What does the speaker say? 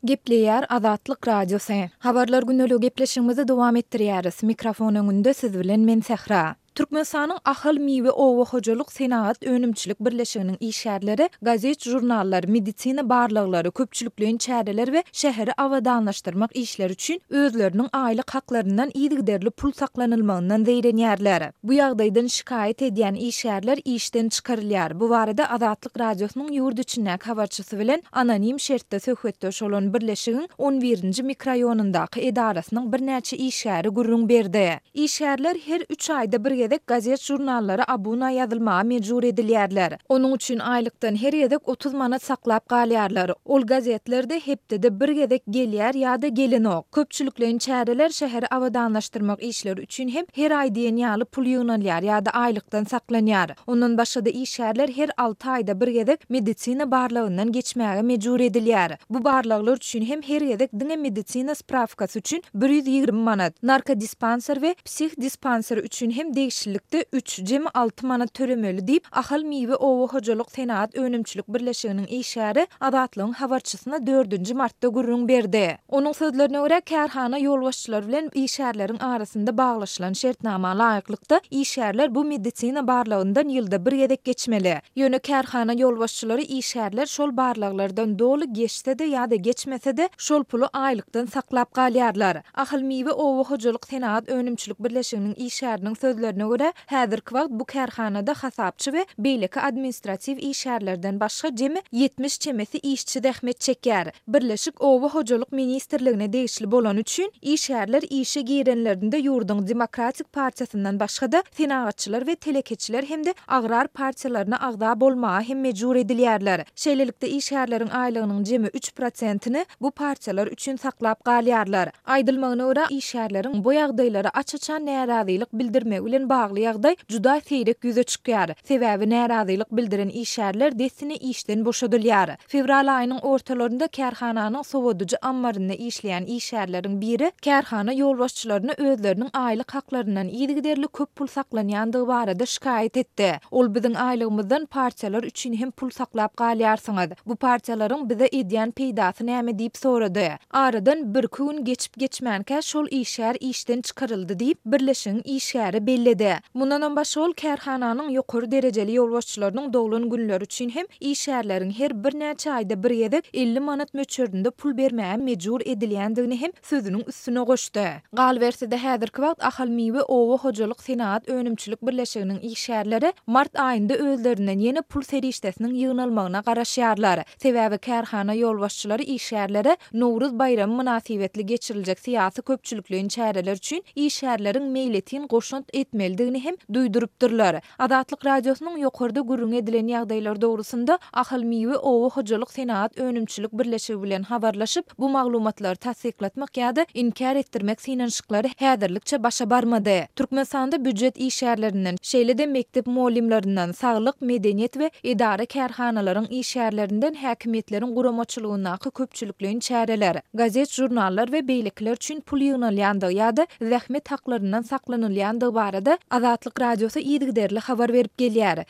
Gepleýär Azatlyk Radiosy. Habarlar gündeligi gepleşigimizi dowam etdirýäris. Mikrofon öňünde siz bilen men Sähra. Türkmenistanyň Ahal miwe oba hojalyk senagat önümçilik birleşiginiň işgärleri gazet-žurnallar, medisina barlaglary, köpçülikleýin çäreler we şäheri abadanlaşdyrmak işleri üçin özleriniň aýlyk haklaryndan yzygiderli pul saklanylmagyndan zeýrenýärler. Bu ýagdaýdan şikaýat edýän işgärler işden çykarylýar. Bu barada Azatlyk Radiosynyň ýurt içindäki habarçysy bilen anonim şertde söhbetdeş bolan birleşigiň on birinji mikroraýonyndaky edarasynyň birnäçe işgäri gürrüň berdi. Işgärler her üç aýda bir gezek gazet-žurnallara abuna ýazylmaga mejbur edilýärler. Onuň üçin aýlykdan her gezek 30 manat saklap galýarlar. Ol gazetler-de hepdede bir gezek gelýär ýa-da gelenok. Köpçülikleýin çäreler, şäheri abadanlaşdyrmak işleri üçin hem her aý diýen ýaly pul ýygnalýar ýa-da aýlykdan saklanýar. Ondan başga-da işgärler her alty aýda bir gezek medisina barlagyndan geçmäge mejbur edilýär. Bu barlaglar üçin hem her gezek diňe medisina sprawkasy üçin 120 manat, narkodispanser we psihdispanser üçin hem degişlilikde üç, jemi alty manat tölemeli diýip, Ahal miwe oba hojalyk senagat önümçilik birleşiginiň işgäri Azatlygyň habarçysyna dördünji martda gürrüň berdi. Onuň sözlerine görä, kärhana ýolbaşçylary bilen işgärleriň arasynda baglaşylan şertnama laýyklykda, işgärler bu medisina barlagyndan ýylda bir gezek geçmeli. Ýöne kärhana ýolbaşçylary işgärler şol barlaglardan doly geçse-de ýa-da geçmese-de, şol puly aýlykdan saklap galýarlar. Ahal miwe oba hojalyk senagat önümçilik birleşiginiň işgäriniň sözlerine görä, häzirki wagt bu kärhanada hasapçy we beýleki administratiw işgärlerden başga jemi 70 çemesi işçi zähmet çekýär. Birleşik Oba hojalyk ministrligine degişli bolany üçin, işgärler işe girenlerinde ýurduň Demokratik partiýasyndan başga-da, Senagatçylar we telekeçiler hem-de Agrar partiýalaryna agza bolmaga hem mejbur edilýärler. Şeýlelikde, işgärleriň aýlygynyň jemi üç prosentini bu partiýalar üçin saklap galýarlar. Aýdylmagyna görä, işgärleriň bu ýagdaýlara aç-açan närazylyk bildirmegi bilen bagly ýagdaý juda seýrek ýüze çykýar. Sebäbi närazylyk bildiren işgärler dessine işden boşadylýar. Fewral aýynyň ortalarynda kärhananyň sowadyjy ammarynda işleýän işgärleriň biri kärhana ýolbaşçylaryna özleriniň aýlyk haklaryndan yzygiderli köp pul saklanýandygy barada şikaýat etdi. Ol biziň aýlygymyzdan partiýalar üçin hem pul saklap galýarsyňyz. Bu partiýalaryň bize edýän peýdasy näme diýip sorady. Aradan birki gün geçip-geçmänkä şol işgär işden çykaryldy diýip, birleşigiň işgäri belledi. Mundanam başga ol kärhananyň ýokary derejeli ýolbaşçylarynyň doglan günleri üçin hem işgärleriň her birnäçe aýda bir gezek 50 manat möçberinde pul bermäge mejbur edilýändigini hem sözüniň üstüne goşdy. Galyberse-de, häzirki wagt Ahal miwe oba hojalyk senagat önümçilik birleşiginiň işgärleri mart aýynda özlerinden ýene pul serişdesiniň ýygnalmagyna garaşýarlar. Sebäbi kärhana ýolbaşçylary işgärlere Nowruz baýramy mynasybetli geçiriljek syýasy-köpçülikleýin çäreler üçin işgärleriň meýletin goşant etmelidigini hem duýdurypdyrlar. Azatlyk Radiosynyň ýokarda gürrüňi edilen ýagdaýlar dogrusynda Ahal miwe oba hojalyk senagat önümçilik birleşigi bilen habarlaşyp, bu maglumatlary tassyklatmak ýa-da inkär etdirmek synanyşyklary häzirlikçe başa barmady. Türkmenistanda býujet işgärlerinden, şeýle-de mekdep mugallymlaryndan, saglyk, medeniýet we edara-kärhanalaryň işgärlerinden häkimiýetleriň guramaçylygyndaky köpçülikleýin çäreler, gazet-žurnallar we beýlekiler üçin pul ýygnalýandygy ýa-da zähmet haklaryndan saklanylýandygy barada Azatlyk Radiosy yzygiderli habar berip gelýär.